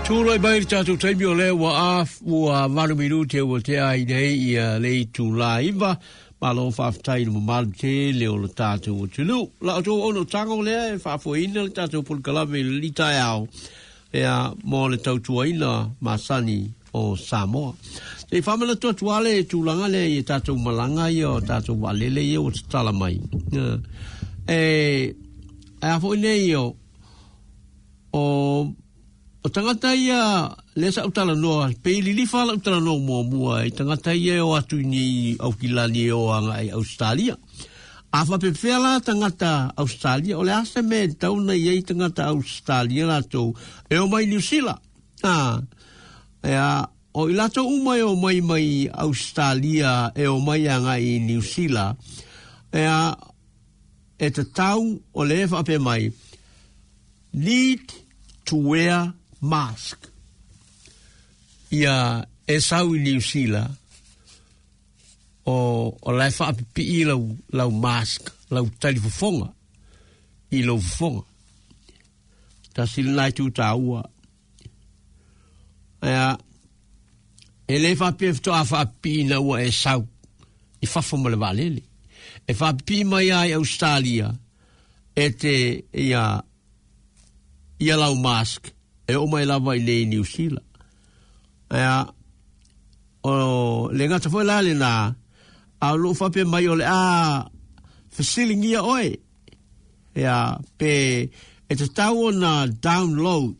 Tulai mai le tatou taimi o lea ua a ua valu minute ua tea ai nei ia le itula iva. Malo faafetai i le mamalu tele o le tatou atunuu. La outou auaunautaga o lea e faafoeina le tatou polokalame i lenei taeao ia mo le tautuaina masani o Samoa. Se i faamanatu atu lava le tulaga lea i tatou malaga ia o tatou vaalele ia ua tatala mai. E, e a foi nei o, o, o tagata ia lea sa ou talanoa, pei lilifa lau talanoa muamua i tagata ia e o atu i nei Aukilani e o agai i Ausetalia. A faapefea la tagata Ausetalia, o le a se mea e tatau ona i ai tagata Ausetalia latou e o mai Niu Sila? A, ea, o i latou uma e o mai mai Ausetalia e o mai agai i Niu Sila, ea, e tatau o lea e faapea mai, need to wear mask. Ia e sau i Niu Sila, o, o la e faapipii lau, lau mask, lau talifofoga i lou fofoga. Tasi lena itu taua. Ea, e le faapea faatoa faapipii ina ua e sau i fafo ma le vaalele. E faapipii mai lava i Ausetalia e te ia ia lau mask e oo mai lava i nei i Niu Sila. Ea, o le gata foi la lena, a o loo faapea mai o le a fesiligia oe Ea, pe e tatau ona download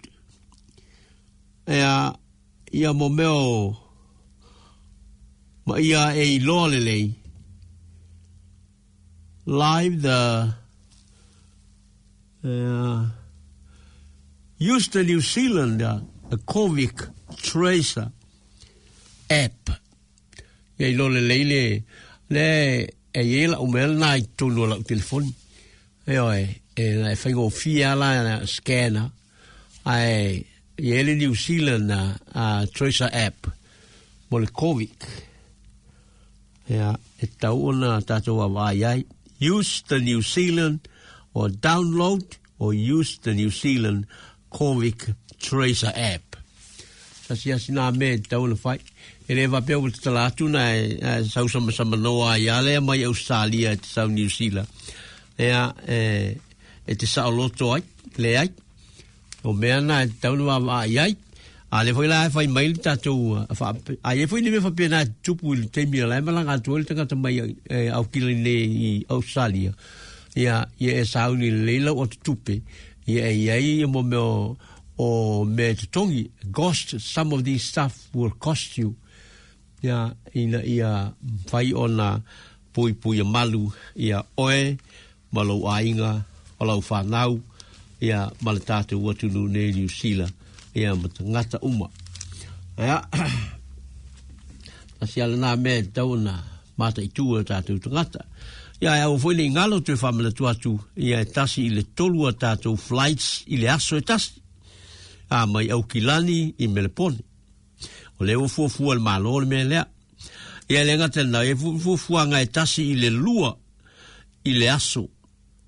ea, ia mo mea o ma ia e iloa lelei live the ea, use the New Zealand the Covid Tracer app. Ia iloa lelei le, le e i ai lau mea lena i totonu o lau telefoni. Ioe, e, e faigofie lava la scanner, ae i ai le New Zealand Tracer app mo le Covid. Ia, e tatau ona tatou vaavaai ai. Use the New Zealand or download or use the New Zealand Covid Tracer app. Tasi lava sina mea e tatau ona fai. E le faapea ua tatala atu na e, e sau samasamanoa ai a lea mai Australia e te sau New Zealand. Ea, e, e te saoloto ai, leai. O mea na e tatau ona vaavaai ai. A lea foi la e fai mai le tatou, a i ai foi ni mea faapena e tutupu i le taimi o la e malaga atu ai le tagata mai e, Aukilani nei i Australia. Ia, ia e sauni lelei lau atutupe, ia e i ai ia mo mea o, o mea e totogi, cost, some of these stuff will cost you, ia, ina ia mafai ona puipuia malu ia oe ma lou aiga, o lau whanau, ia, ma le tātou atunuu nei Niu Sila, ia, ma tagata uma. Ia, tasi a lena mea e tatau ona mataitu e o tātou tagata. Ia, e aua foi nei galo toe faamanatu atu, ia e tasi i le tolu a tātou flights i le aso e tasi. A mai Aukilani i Melepone. O lea ua fuafua e le Malo le mea lea. Ia e le gata i lena, e fuafuaga e tasi i le lua i le aso,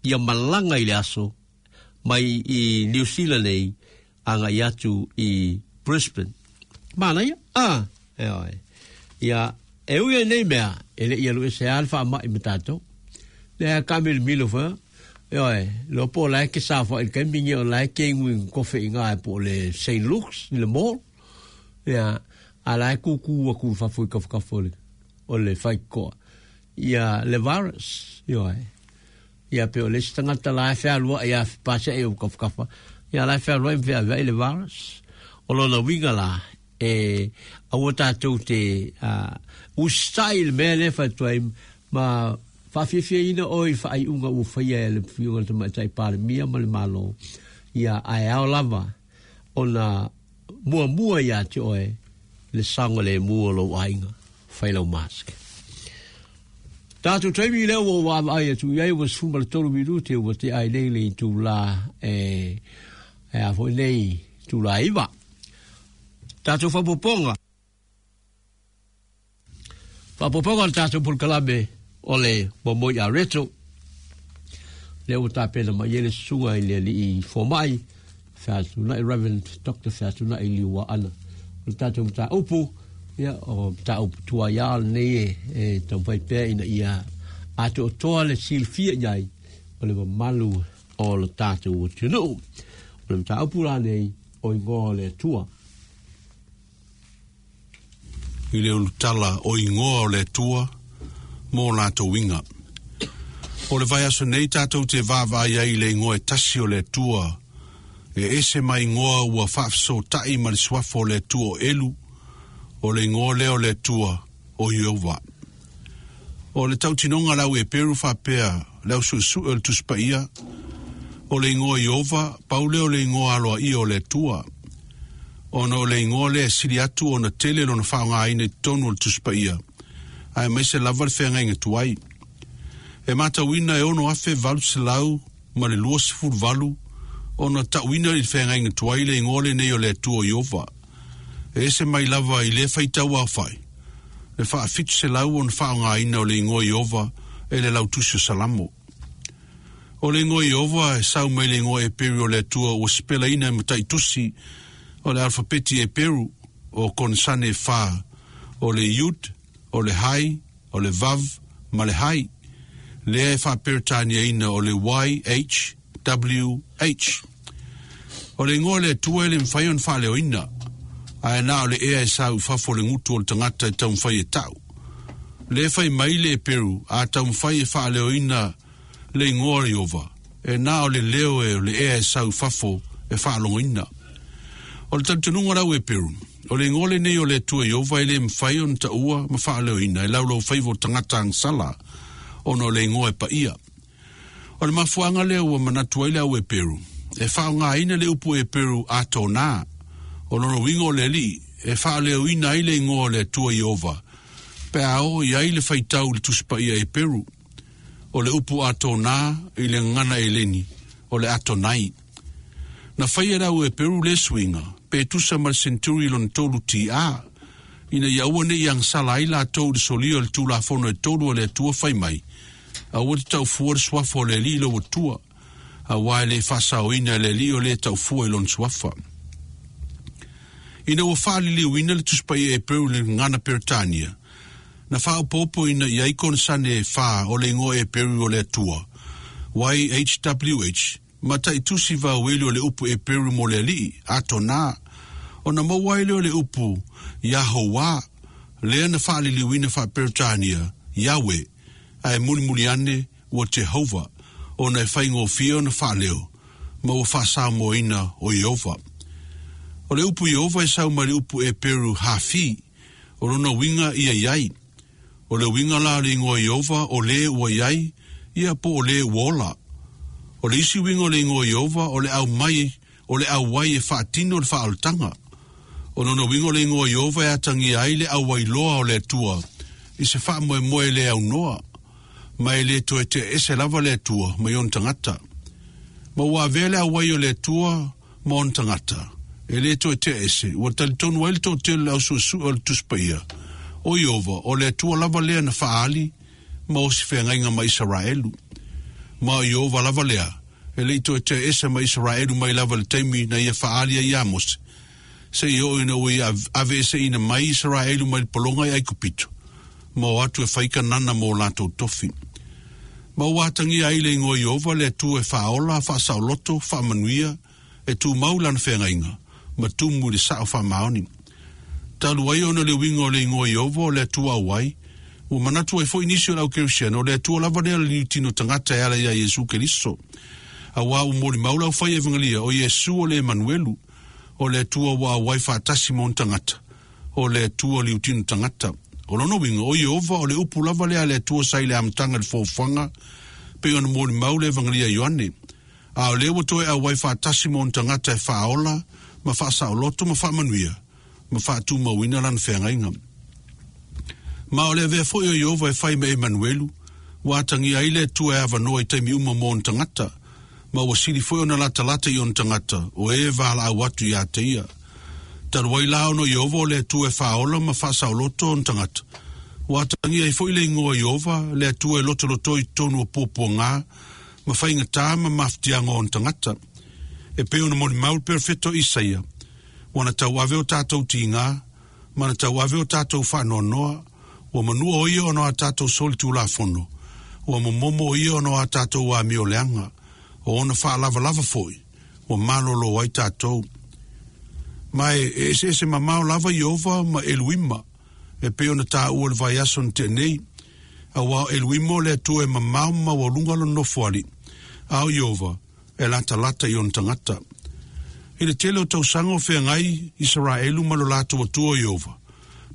ia malaga i le aso mai i Niu Sila nei agai atu i Brisbane. Manaia? Ah, e oe. Ia, e ui ai nei mea, e le i alu ese lava le faamai ma tatou. Lea ka milomilo foi, e oe, iloa po o la e ke saofai i le taimi lenei o la e kegu i kofe i ina po o le St. Luke's i le mall. Ia, a la e kūkū atu i fafo i tafatafa o le, o le faitotoa. Ia, le virus, ioe. Ia pei o le isi tagata la e fealuai a paseai o tafatafa, ia la e fealuai ma feaveai le virus. O lona uiga la, e aua tatou te uh, usitai i le mea lea e fai atu ai ma faafiafiaina oe i faaiuga ua faia e le Afioga i le Tamaitai Palemia ma le Malo, ia ae ao lava ona muamua ia te oe le saogalemu o lou aiga. Fai lau mask. Tatou taimi lea ua ou vaavaai atu i ai ua 13 minute ua tea ai nei le itula e, e a foi nei itula iva. Tatou faaopoopoga. Faaopoopoga o le tatou polokalame o le Momoi a Reto. Lea ua tapena mai ai le susuga i le alii fomai. Featunai, Reverend Doctor Featunai Liuaana. O le tatou mataupu, ia, o mataupu tuai lava lenei e, e taumafai pea ina ia atoatoa le silafia i ai o le mamalu o le tatou atunuu. O le mataupu la nei, o igoa o le Atua. I le ulutala o igoa o le Atua mo latou uiga. O le vaiaso nei tatou te vaavaai ai i le igoa e tasi o le Atua, e ese mai igoa ua faafesootai ma le suafa o le Atua o Elu, o le igoa lea o le Atua o Ieova. O le tautinoga a le au Eperu faapea le au suesue o le Tusi Paia, o le igoa Ieova, pau lea o le igoa aloaia o le Atua. Ona o le igoa lea e sili atu ona tele lona faaaogaina i totonu o le Tusi Paia, aemaise lava le feagaiga tuai. E matauina e 6,828 ona tauina i le feagaiga tuai le igoa lenei o le Atua o Ieova. E ese mai lava i lea faitau aofai, le faa-700 ona faaaogaina o le igoa Ieova e le lautusi o Salamo. O le igoa Ieova e sau mai le igoa Eperu o le Atua ua sipelaina e mataitusi o le alfapeti Eperu o konesane e fā, o le Yud, o le Hai, o le Vav ma le Hai, lea e faaperetaniaina o le YHWH. O le igoa o le Atua e le mafai ona faaleoina, ae na o le ea e sau i fafo o le gutu o le tagata e taumafai e tau. Lea e fai mai le Eperu a taumafai e faaleoina le igoa o Ieova, e na o le leo e o le ea e sau i fafo e faalogoina. O le talitonuga o le au Eperu, o le igoa lenei o le Atua Ieova e le mafai ona taua ma faaleoina e laulaufaiva o tagata agasala, ona o le igoa e paia. O le mafuaaga lea ua manatu ai le au Eperu, e faaaogaina le upu Eperu Atona, o lona uiga o le Alii, e faaleoina ai le igoa o le Atua Ieova, pe a oo i ai le faitau i le Tusi Paia Eperu. O le upu Atona i le gagana Eleni, o le Atonai. Na faia e le au Eperu lea suiga, pe tusa ma le senturi lona tolu TR, ina ia aua ne i agasala ai latou i le solia o le Tulafono e tolu a le Atua fai mai, Aua te taufua le suafa o le Alii lou Atua, auā e le faasaoina e le Alii o lē taufua i lona suafa. Ina ua faaliliuina le Tusi Paia Eperu i le gagana Peretania, na faaopoopoina i ai konesane e fā o le igoa Eperu o le Atua, YHWH, ma taitusi vaueli o le upu Eperu mo le Alii, Atonā, ona maua ai lea o le upu Iahouā, lea na faaliliuina faa-Peretania, Yahweh, ae mulimuli ane ua Jehovah, ona e faigofie ona faaleo, ma ua faasamoaina o Ieova. O le upu Ieova e sau mai le upu Eperu Hafi, o lona uiga ia i ai. O le uiga la o le igoa Ieova o lē ua i ai, ia po o lē ua ola. O le isi uiga o le igoa Ieova o le aumai o le auai e faatino le faaolataga. O lona uiga o le igoa Ieova e atagia ai le auai loa o le Atua i se faamoemoe le aunoa, ma e le toe tea ese lava le Atua mai ona tagata. Ma ua avea le auai o le Atua ma ona tagata, e le toe tea ese, ua talitonu ai le toatele o le au suesue o le Tusi Paia, o Ieova, o le Atua lava lea na faaali ma osi feagaiga ma Isaraelu. Ma o Ieova lava lea, e le i toe tea ese ma Isaraelu mai lava i le taimi na ia faaali ai iā Mose, seia oo ina ua ia aveeseina mai Isaraelu mai le pologa i Aikupito, ma o atu e fai Kanana mo latou tofi. Ma ua atagia ai le igoa Ieova le Atua e faaola, faasaoloto, faamanuia, e tumau lana feagaiga, ma tumu i le sao faamaoni. Talu ai ona le uiga o le igoa Ieova o le Atua auai, ua manatu ai foi nisi o le au Kerisiano o le Atua lava lea o le niutino tagata e ala iā Iesu Keriso. Auā ua molimau le aufai evangelia o Iesu o le Emanuelu, o le Atua ua auai faatasi ma ona tagata, o le Atua liutino tagata. O lona uiga, o Ieova o le upu lava lea a le Atua sa i le amataga i le foafoaga, pei ona molimau le Evangelia a Ioane. A o lea ua toe auai faatasi ma ona tagata e faaola ma faasaoloto ma faamanuia ma faatumauina lana feagaiga. Ma o le avea foi o Ieova e fai ma Emanuelu, ua atagia ai le Atua e avanoa i taimi uma mo ona tagata, ma ua sili foi ona latalata i ona tagata, o e valaau atu iā te ia. Talu ai la ona o Ieova o le Atua e faaola ma faasaoloto ona tagata, ua atagia ai foi le igoa Ieova, le Atua e lotolotoi i totonu o puapuagā, ma faigatā ma mafatiaga o ona tagata. E pei ona molimau le perofeta o Isaia, Ua na tauave o tātou tīgā, ma na tauave o tātou faanoanoa, ua manua o ia ona o a tātou solitulafono, ua momomo o ia ona o a tātou amioleaga, o ona faalavalava foi, ua malōlō ai tātou. Ma e, e eseese mamao lava Ieova ma Eluima, e pei ona taua i le vaiaso na tea nei, auā o Eluima o le Atua e mamao ma maualuga lona nofoalii, a o Ieova, e latalata i ona tagata. I le tele o tausaga o feagai Isaraelu ma lo latou Atua o Ieova,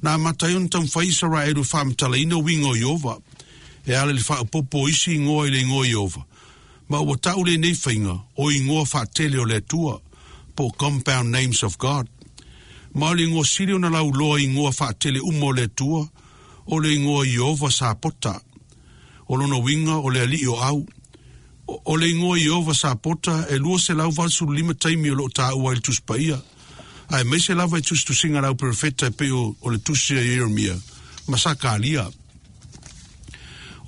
na amata ai ona taumafai Isaraelu e faamatalaina uiga o Ieova, e ala i le faaopoopo o isi igoa i le igoa Ieova, ma ua tau lenei faiga o igoa faatele o le Atua, po o Compound Names of God. Ma o le igoa sili ona lauloa i igoa faatele uma o le Atua, o le igoa Ieova Sapota. O lona uiga o le Alii o Au. O le igoa Ieova Sapota e 285 taimi o lo o taua ai le Tusi Paia, aemaise lava i tusitusiga a le au perofeta e pei o le tusi a Ieremia ma Sakaria.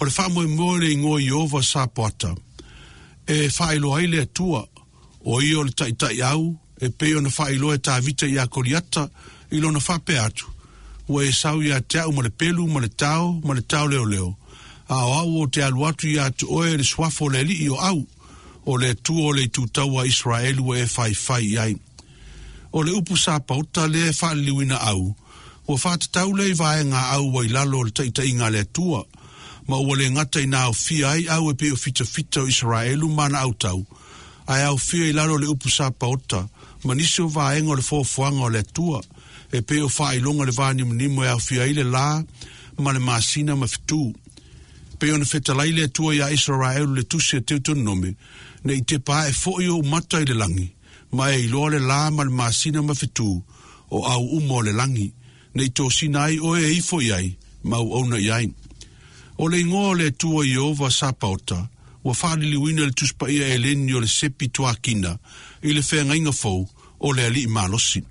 O le faamoemoe o le igoa Ieova Sapoata e faailoa ai le Atua, o ia o le Taitai-au, e pei ona faailoa e Tavita iā Koliata i lona faapea atu, Ua e sau ia te au ma le pelu ma le tao ma le taoleoleo, a o au ou te alu atu ia te oe le suafa o le Alii o au, o le Atua o le itutaua a Iseraelu ua e faifai i ai. O le upu Sapaota lea e faaliliuina au, ua faatatau lea i vaega a au ua i lalo o le taitaiga a le Atua, ma ua le gata ina aofia ai au e pei o fitafita o Iseraelu ma ana autau, ae aofia i lalo o le upu Sapaota ma nisi o vaega o le foafoaga o le Atua, e pei o faailoga le vānimunimo e aofia ai le lā ma le masina ma fetū. E pei ona fetalai le Atua iā Isaraelu le tusi a Teutononome, Ne i tepa ae foi ou mata i le lagi, ma e iloa le lā ma le masina ma fetū, o au uma o le lagi, ne i tosina ai oe e ifo i ai, ma auauna i ai. O le igoa o le Atua Ieova Sapaota, ua faaliliuina i le Tusi Paia Eleni o le Sepituakina i le Feagaiga Fou o le Alii Malosi.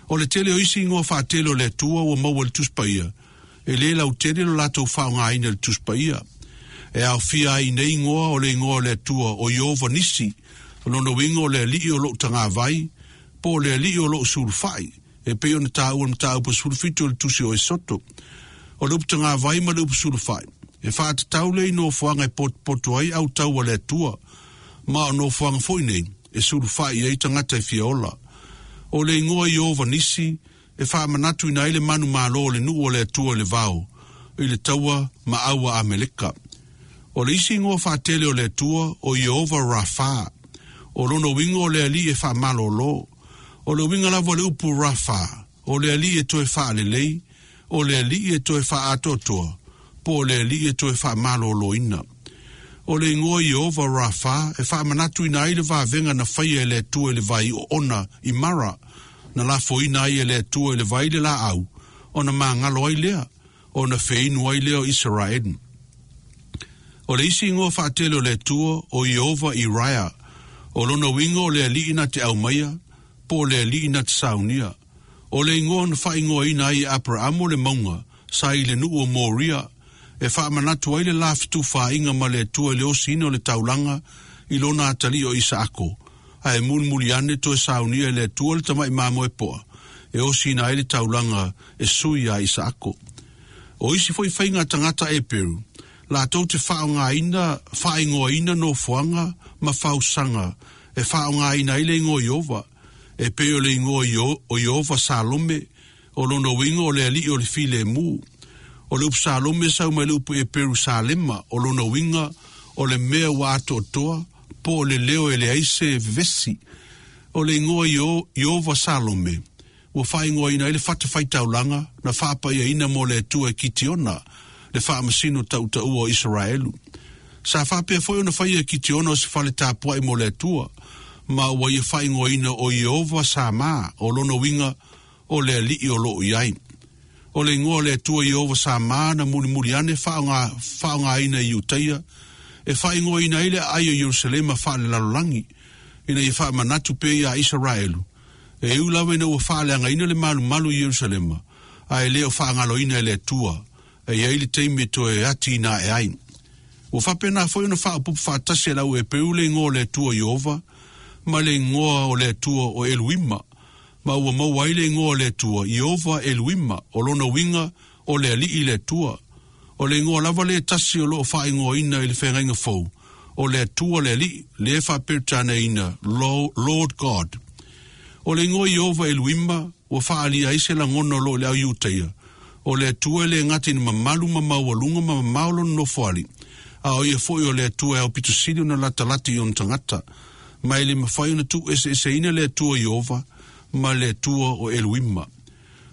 O le tele o isi igoa faatele o le Atua ua maua i le Tusi Paia, e le lautele lo latou faaaogaina i le Tusi Paia. E aofia ai i nei igoa o le igoa o le Atua o Ieova Nisi, o lona uiga o le Alii o lou tagavai, po o le Alii o lou sulufai, e pei ona taua i le mataupu 17 o le Tusi o Esoto. O le upu tagavai ma le upu sulufai, e faatatau lea i nofoaga e potopoto ai autau a le Atua, ma o nofoaga foi nei e sulufai i ai tagata e fia ola. O le igoa Ieova Nisi e faamanatuina ai le manumalo o le nuu o le Atua i le vao, i le taua ma au a Ameleka. O le isi igoa faatele o le Atua o Ieova Rafa. O lona uiga o le Alii e faamalōlō. O le uiga lava o le upu Rafa, o le Alii e toe faalelei, o le Alii e toe faaatoatoa, po o le Alii e toe faamalōlōina. O le igoa Ieova Rafa e faamanatuina ai le vavega na faia e le Atua i le vai oona i Mara, na lafoina ai e le Atua i le vai le laau, ona magalo ai lea, ona feinu ai lea o Isaraelu. O le isi igoa faatele o le Atua, o Ieova Iraea, o lona uiga o le Alii na te aumaia, po o le Alii na te saunia. O le igoa na faaigoaina ai e Aperamo le mauga sa i le nuu o Moria, e faamanatu ai le la fetufaaiga ma le Atua i le osiina o le taulaga i lona atalii o Isaako, ae mulimuli ane toe saunia e le Atua le tamai mamoe poa e osiina ai le taulaga e sui iā Isaako. O isi foi faiga a tagata Eperu, latou te faaaogaina, faaigoaina nofoaga ma fausaga e faaaogaina ai le igoa Ieova, e pei o le igoa o Ieova Salome, o lona uiga o le Alii o le Filemu. O le upu Salome e sau mai le upu Eperu Salema, o lona uiga o le mea ua atoatoa, po o le leo e leai se vevesi. O le igoa Ieova Salome, ua faaigoaina ai le fatafaitaulaga na faapaiaina mo le Atua e Kitiona, le faamasino tautaua o Isaraelu. Sa faapea foi ona faia e Kitiona o se fale tapuai mo le Atua, ma ua ia faaigoaina o Ieova Sama, o lona uiga, o le Alii o loo i ai. O le igoa o le Atua Ieova Sama na mulimuli ane faaaoga, faaaogaina i Iutaia, e faaigoaina ai le aai o Ierusalema faalelalolagi, ina ia faamanatu pea iā Isaraelu, e ui lava ina ua faaleagaina le malumalu i Ierusalema, ae le o faagaloina e le Atua, e i ai le taimi e toe atiina ae ai. Ua faapena foi ona faaopoopo faatasi e le au Eperu le igoa o le Atua Ieova, ma le igoa o le Atua o Eluima, ma ua maua ai le igoa o le Atua, Ieova Eluima, o lona uiga, o le Alii le Atua. O le igoa lava lea e tasi o lo o faaigoaina i le Feagaiga Fou, o le Atua le Alii, lea e faa-Peretaniaina, Lord God. O le igoa Ieova Eluima, ua faaalia ai se lagona o lo o i le au Iutaia, o le Atua e le gata ina mamalu ma maualuga ma mamao lona nofoalii, a o ia foi o le Atua e aupito sili ona latalata i ona tagata. Ma e le mafai ona tuueseeseina le Atua Ieova ma le Atua o Eluima.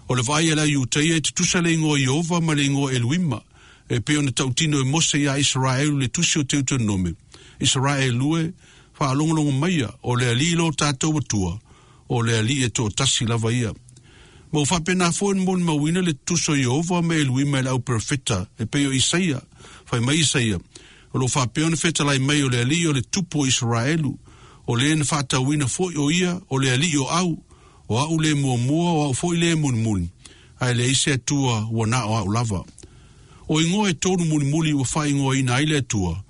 O le vaai a le au Iutaia e tutusa le igoa Ieova ma le igoa Eluima, e pei ona tautino e Mose iā Isaraelu i le tusi o Teutonome, Isaraelu e, faalogologo maia, o le Alii lo tatou Atua, o le Alii e toatasi lava ia. Ma ua faapena foi ona molimauina le tutusa o Ieova ma Eluima e le au perofeta, e pei o Isaia. Fai mai Isaia, O lo o faapea ona fetalai mai o le Alii o le Tupu o Isaraelu, o le na faatauina foi o ia o le Alii o au, o a'u le muamua o a'u foi le mulimuli, ae leai se Atua ua na o a'u lava. O igoa e tolu mulimuli ua faaigoaina ai le Atua,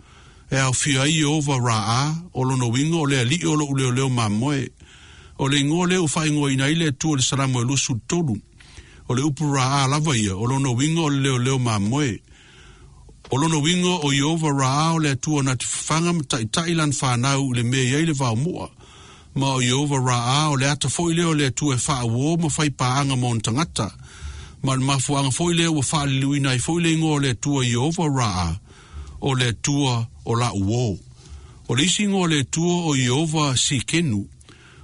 e aofia ai Ieova Ra'a, o lona uiga o le Alii o lo'u leoleo mamoe. O le igoa lea ua faaigoaina ai le Atua i le Salamo e 23. O le upu Ra'a lava ia, o lona uiga o le leoleo mamoe. O lona uiga o Ieova Ra'a o le Atua na te fafaga ma taita'i lana fanau i le mea e i ai le vaomu'a. Ma o Ieova Ra'a o le ata foi lea o le Atua e faauō ma fai paaga ma ona tagata. Ma o le mafuaaga foi lea ua faaliliuina ai foi le igoa o le Atua Ieova Ra'a, o le Atua o la'u uō. O le isi igoa o le Atua o Ieova Sikenu.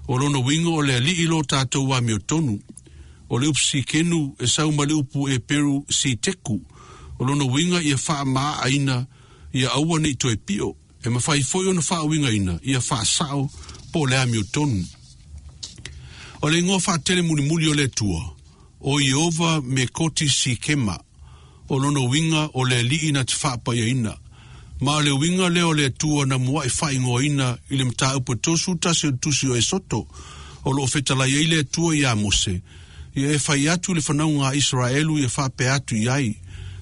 O lona uiga o le Alii lo tatou amiotonu. O le upu Sikenu e sau mai le upu Eperu Siteku. O lona uiga ia faamaaaina, ia aua ne i toe pio. E mafai foi ona faauigaina ia faasao po o le amiotonu. O le igoa faatele mulimuli o le Atua, o Ieova me Koti Sikema. O lona uiga o le Alii na te faapaiaina. Ma o le uiga lea o le Atua na mua'i faaigoaina i le mataupu e 31 o le Tusi o Esoto, o lo o fetalai ai le Atua iā Mose, ia e fai atu i le fanauga a Isaraelu ia faapea atu i ai,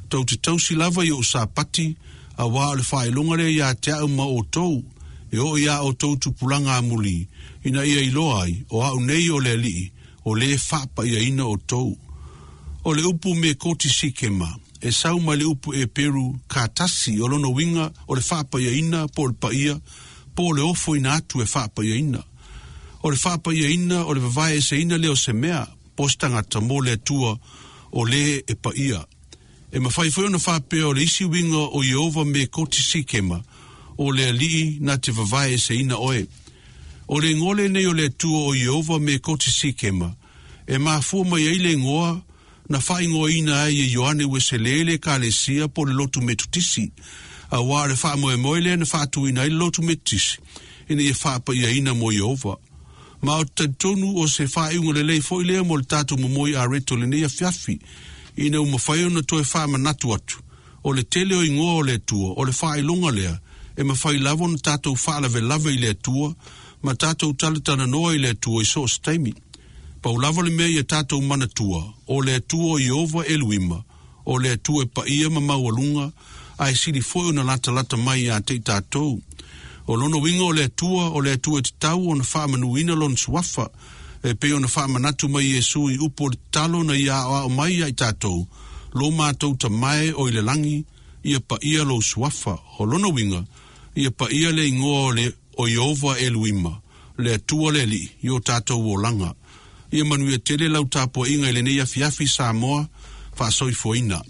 Tou te tausi lava i o'u Sapati, auā o le faailoga lea iā te a'u ma outou, e oo iā outou tupulaga amulī, ina ia iloa ai, o a'u nei o le Alii, o lē faapaiaina outou. O le upu me koti Sikema, e sau mai le upu Eperu ka tasi, o lona uiga o le faapaiaina po o le paia, po o le ofoina atu e faapaiaina. O le faapaiaina o le vavaeeseina lea o se mea, po o se tagata mo le Atua o lē e paia. E mafai foi ona faapea o le isi uiga o Ieova me koti Sikema, o le Alii na te vavaeeseina oe. O le igoa lenei o le Atua o Ieova me koti Sikema, e mafua mai ai le igoa na faaigoaina ai e Ioane Ueselē le Ekalesia po o le Lotu Metotisi, auā o le faamoemoe lea na faatuina ai le Lotu Metotisi ina ia faapaiaina mo Ieova. Ma ou te talitonu o se faaiuga lelei foi lea mo le tatou momoi areto i lenei afiafi, ina ua mafai ona toe faamanatu atu, o le tele o igoa o le Atua, o le faailoga lea, e mafai lava ona tatou faalavelave i le Atua ma tatou talatalanoa i le Atua i so o se taimi. Pau lava le mea ia tatou manatua, o le Atua o Ieova Eluima, o le Atua e paia ma maualuga, a e sili foi ona latalata mai iā te i tatou. O lona uiga o le Atua, o le Atua e tatau ona faamanuina Lona Suafa, e pei ona faamanatu mai Iesu i upu o le tatalo na Ia aoao mai iā i tatou, Lo matou Tama e o i le lagi, ia paia Lou Suafa. O lona uiga, ia paia le igoa o le o Ieova Eluima, le Atua le Alii, i o tatou olaga. Ia manuia tele lau tapuaiga i lenei afiafi Samoa, faasoifuaina.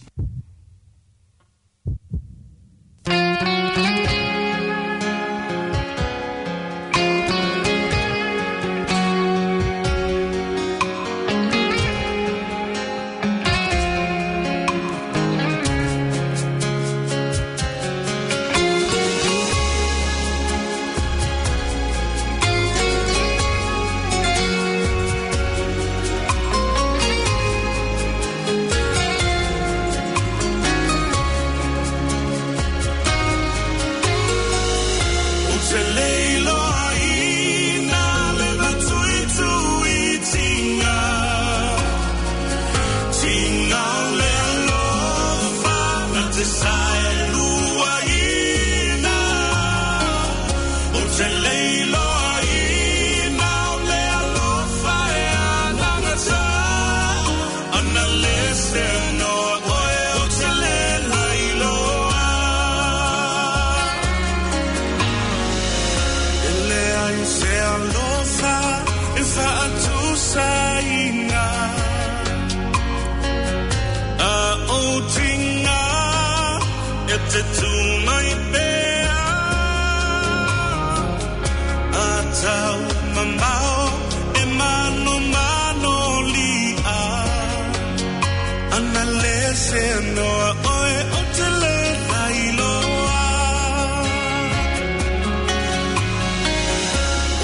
se noa oe o te le lailoa.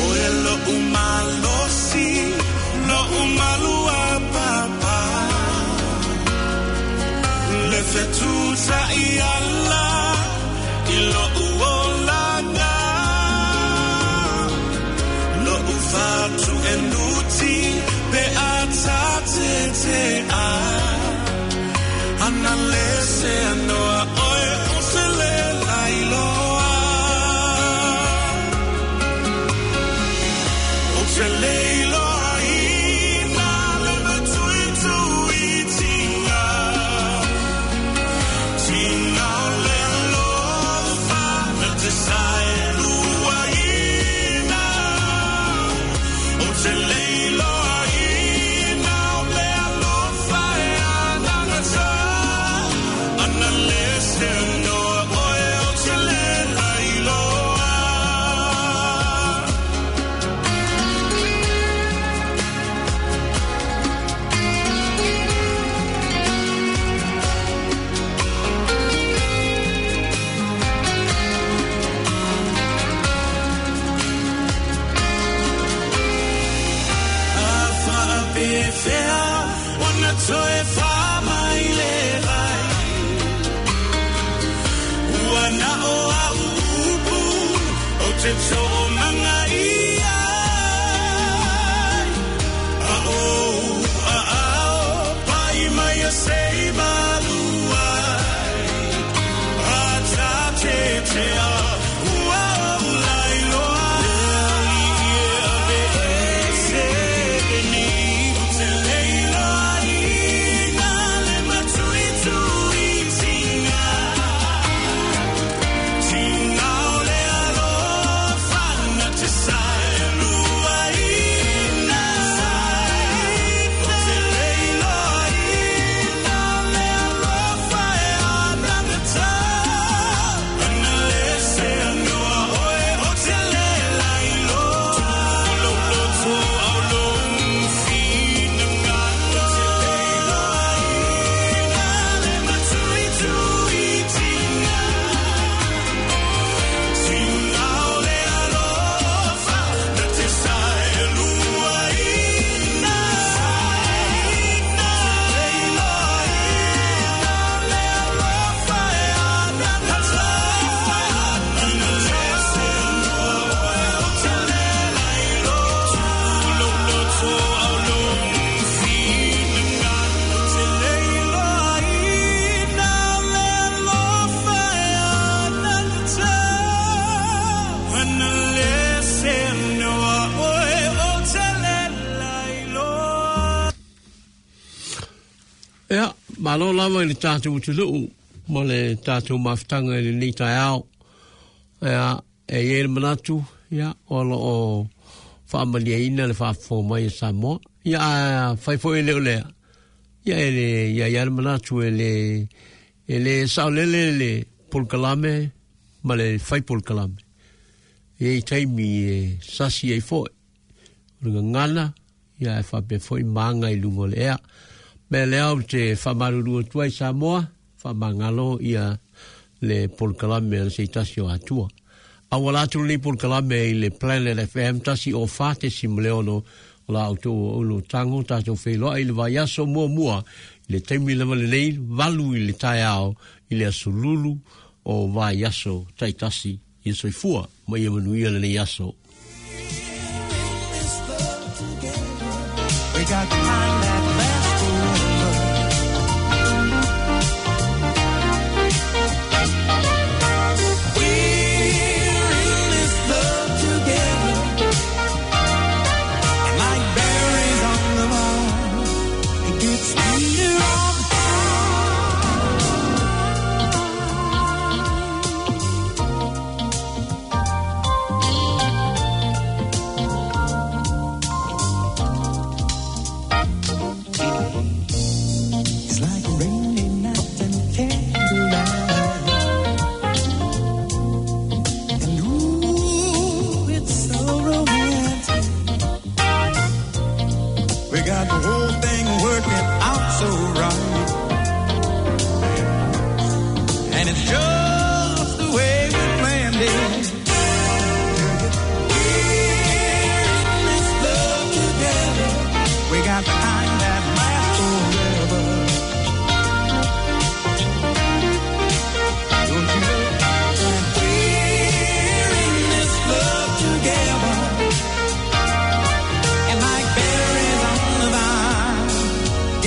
Oe lo umalosi, lo umalua papa. Le fetusa i ala, i lo uolanga. Lo ufatu e nuti, pe atate te a. Ana le se anoa oe o se le lailoa. O se le iloa ina le matui tui tinga. Tinga o le alofa na te sae lua ina. O te le iloa ina o le alofa e anagata. Ana le se anoa oe o te le lailoa. Fea, ona toe wha mai le vai. Ua na o a upu, o te tō manga ia. A o, a ao, pai mai a sei maluai. A tā te te a, ua o lai loa. Lea i e ave e se ni. Te leila ina le matui tui tinga. Tinga o le alofa na te sae lua ina. Te leila ina le alofa e anagata. Ana le se anoa oe o te le lailoa. Lo lo to au lo fina ngalo. Te leila ina le matui tui tinga. Tinga o le alofa na te sae lua ina. Te leila ina le alofa e anagata. Ana le se anoa oe o te le lailoa. Lo lo to au lo fina ngalo. Te leila ina le alofa e anagata. Ana le se anoa oe o te le lailoa. Ia, malo lava i le tātou atunuu ma le tātou mafutaga i lenei taeao. Ia, e i ai le manatu, ia, o lo o faamaliaina le faafofoga mai e Samoa. Ia, a fai foi e le o lea. Ia, e le, ia, ia le manatu e le, e le saolele le polokalame ma le fai polokalame. E i taimi e sasi ai foi. O le gagana, ia, e faapea foi maga i luga o le ea. Mea lea ou te faamalulu atu ai Samoa, faamagalo ia le polokalame a le seitasi o Atua. Auala atu lenei polokalame i le Planet FM 104.6 o la outou aulo tago tatou feiloai i le vaiaso muamua i le taimi lava lenei 8 i le taeao i le aso lulu o vaiaso taitasi. Ia soifua ma ia manuia lenei aso. We got the kind that lasts forever. We're in this love together. And like berries on the vine, it gets sweeter all the time.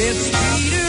It's Peter.